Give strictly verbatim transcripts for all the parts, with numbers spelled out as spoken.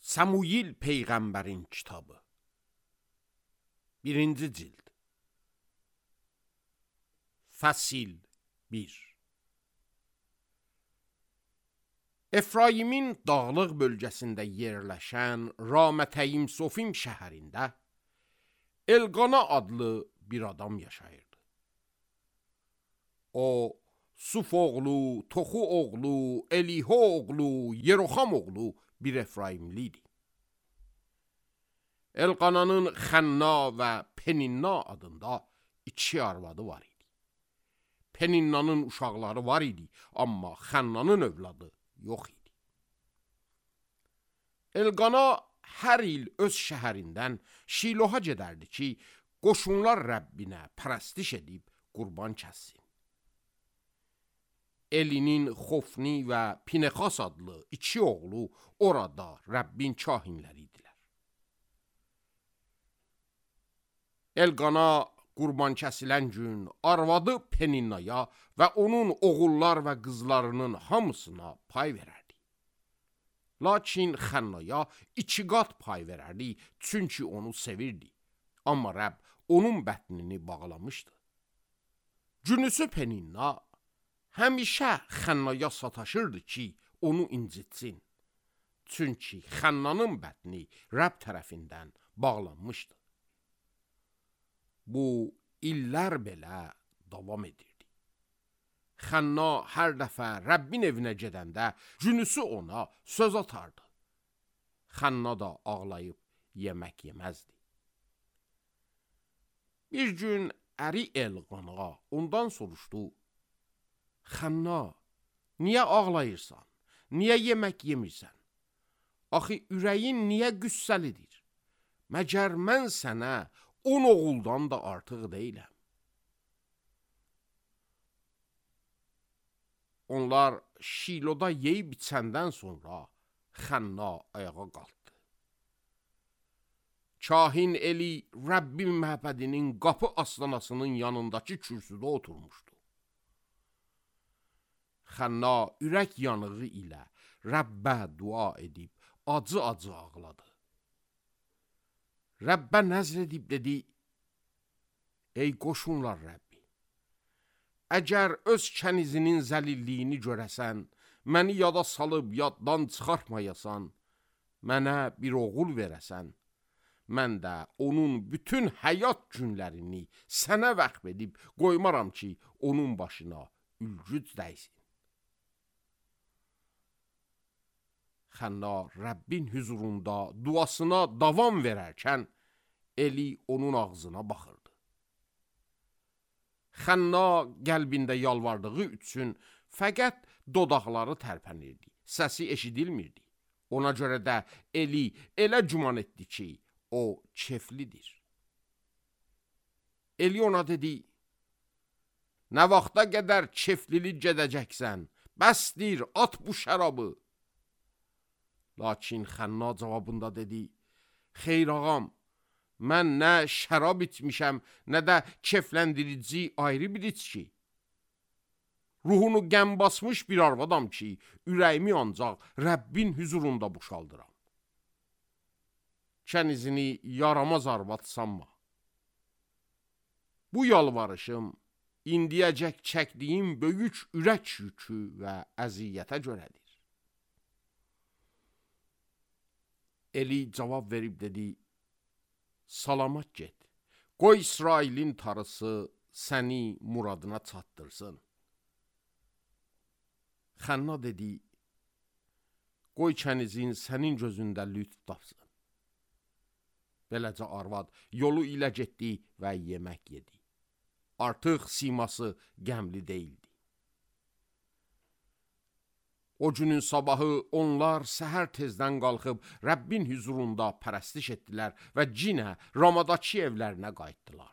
Samuyil Peyğəmbərin kitabı birinci cild Fəsil bir. Efraimin dağlıq bölgəsində yerləşən Ramətəyim Sofim şəhərində Elqana adlı bir adam yaşayırdı. O, Suf oğlu, Toxu oğlu, Eliho oğlu, Yeroxam oğlu bir Efraimli idi. Elqananın Xənna və Peninna adında iki arvadı var idi. Peninnanın uşaqları var idi, amma Xənnanın övladı yox idi. Elqana hər il öz şəhərindən Şiloha gedərdi ki, qoşunlar Rəbbinə pərəstiş edib qurban kəssin. Elinin Xofni və Pinexas adlı iki oğlu orada Rəbbin kahinləri idilər. Elqana qurban kəsilən gün arvadı Peninnaya və onun oğullar və qızlarının hamısına pay verərdi. Lakin Xənnaya iki qat pay verərdi, çünki onu sevirdi. Amma Rəbb onun bətnini bağlamışdı. Günüsü Peninna həmişə Xənnaya sataşırdı ki, onu incitsin. Çünki Xənnanın bətni Rəbb tərəfindən bağlanmışdı. Bu, illər belə davam edirdi. Xənna hər dəfə Rəbbin evinə gedəndə günüsü ona söz atardı. Xənna da ağlayıb yemək yeməzdi. Bir gün əri Elqana ondan soruşdu: Xənna, niyə ağlayırsan? Niyə yemək yemirsən? Axı ürəyin niyə qüssəlidir? Məgər mən sənə on oğuldan da artıq deyiləm. Onlar Şiloda yeyib içəndən sonra Xənna ayağa qalxdı. Kahin Eli Rəbbin məbədinin qapı aslanasının yanındakı kürsüdə oturmuşdu. Xənna ürək yanığı ilə Rəbbə dua edib acı-acı ağladı. Rəbbə nəzr edib dedi: Ey qoşunlar Rəbbi, əgər öz kənizinin zəlilliyini görəsən, məni yada salıb yaddan çıxartmayasan, mənə bir oğul verəsən, mən də onun bütün həyat günlərini sənə vəqf edib qoymaram ki, onun başına ülgüc dəysin. Xənna Rəbbin hüzurunda duasına davam verərkən Eli onun ağzına baxırdı. Xənna qəlbində yalvardığı üçün fəqət dodaqları tərpənirdi, səsi eşidilmirdi. Ona görə də Eli elə güman etdi ki, o keflidir. Eli ona dedi: Nə vaxta qədər keflilik gedəcəksən? Bəsdir, at bu şərabı. Lakin Xənna cavabında dedi: Xeyr ağam, mən nə şərab içmişəm, nə də kefləndirici ayrı bir içki. Ruhunu qəm basmış bir arvadam ki, ürəyimi ancaq Rəbbin hüzurunda boşaldıram. Kənizini yaramaz arvad sanma. Bu yalvarışım indiyəcək çəkdiyim böyük ürək yükü və əziyyətə görədir. Eli cavab verib dedi: Salamat get, qoy İsrailin tarısı səni muradına çatdırsın. Xənna dedi: Qoy kənizin sənin gözündə lütf tapsın. Beləcə arvad yolu ilə getdi və yemək yedi. Artıq siması qəmli deyildi. O günün sabahı onlar səhər tezdən qalxıb Rəbbin hüzurunda pərəstiş etdilər və cinə Ramadakı evlərinə qayıtdılar.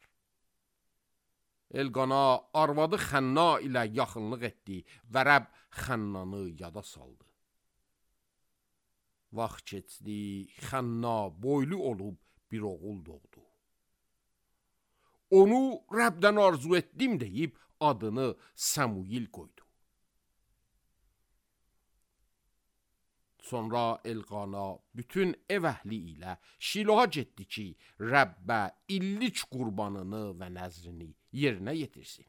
Elqana arvadı Xənna ilə yaxınlıq etdi və Rəbb Xənnanı yada saldı. Vaxt keçdi, Xənna boylu olub bir oğul doğdu. Onu Rəbdən arzu etdim deyib adını Samuyil qoydu. Sonra Elqana bütün ev əhli ilə Şiloha getdi ki, Rəbbə illic qurbanını və nəzrini yerinə yetirsin.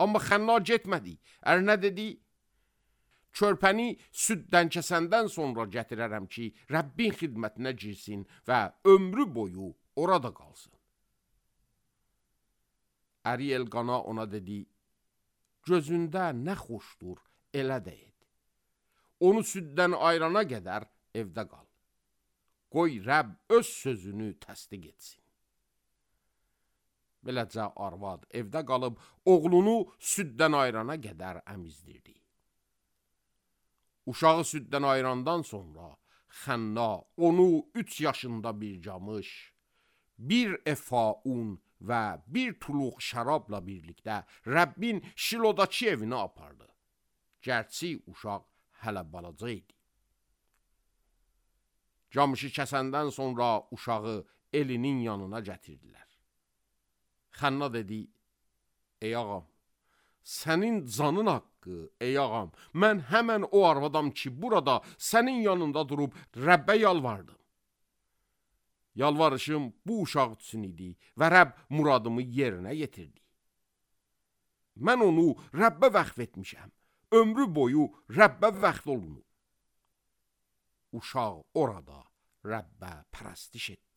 Amma Xənna getmədi. Ərinə dedi, körpəni süddən kəsəndən sonra gətirərəm ki, Rəbbin xidmətinə girsin və ömrü boyu orada qalsın. Əri Elqana ona dedi, gözündə nə xoşdur, elə də et. Onu süddən ayrana qədər evdə qal. Qoy Rəbb öz sözünü təsdiq etsin. Beləcə arvad evdə qalıb, oğlunu süddən ayrana qədər əmizdirdi. Uşağı süddən ayrandan sonra Xənna onu üç yaşında bir camış, bir efa un və bir tuluq şərabla birlikdə Rəbbin Şilodakı evinə apardı. Gərçi uşaq hələ balaca idi. Camışı kəsəndən sonra uşağı elinin yanına gətirdilər. Xənna dedi, ey ağam, sənin canın haqqı, ey ağam, mən həmən o arvadam ki, burada sənin yanında durub Rəbbə yalvardım. Yalvarışım bu uşaq üçün idi və Rəbb muradımı yerinə yetirdi. Mən onu Rəbbə vəqf etmişəm, ömrü boyu Rəbbə vəqf olunub. Uşaq orada Rəbbə pərəstiş etdi.